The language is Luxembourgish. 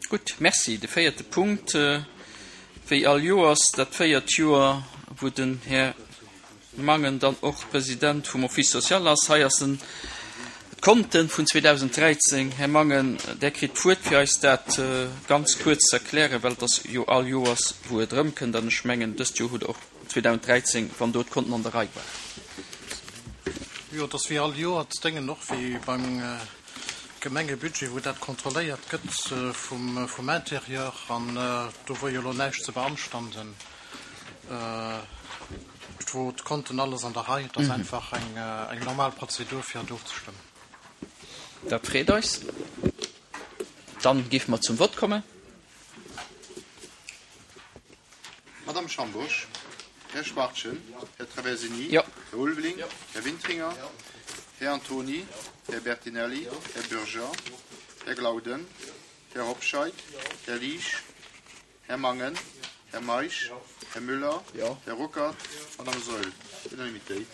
Gutt, Merci. De véierte Punkt, wéi all Joers, dat véiert Joer, wou den Här Mangen dann och President vum Office social ass. Hei ass en d'Konten vun 2013. Här Mangen, Der kritt d'Wuert, fir eis dat ganz kuerz ze erklären, well et ass jo all Joers, wou et erëmkënnt. An ech mengen, dëst Joer hutt Der och 2013, wann do d'Konten an der Rei waren. Jo, et ass wéi all Joer, d'Déngen och wéi beim Gemengebudget, wou dat kontrolléiert gëtt vum Intérieur. An do wor jo elo näischt ze beanstanden. Et wor d'Konten alles an der Rei. Et ass einfach eng normal Prozedur fir et ofzestëmmen. Dat freet eis. Dann géife mer zum Vott kommen. Madame Schambourg, Här Schwachtgen, Här Traversini, Här Ulveling, Här Wintringer, Här Antony, Här Bertinelli, Här Bürger, Här Glauden, Här Hobscheit, Här Liesch, Här Mangen, Här Meisch, Här Müller, Här Ruckert, Madame Saeul. Unanimitéit.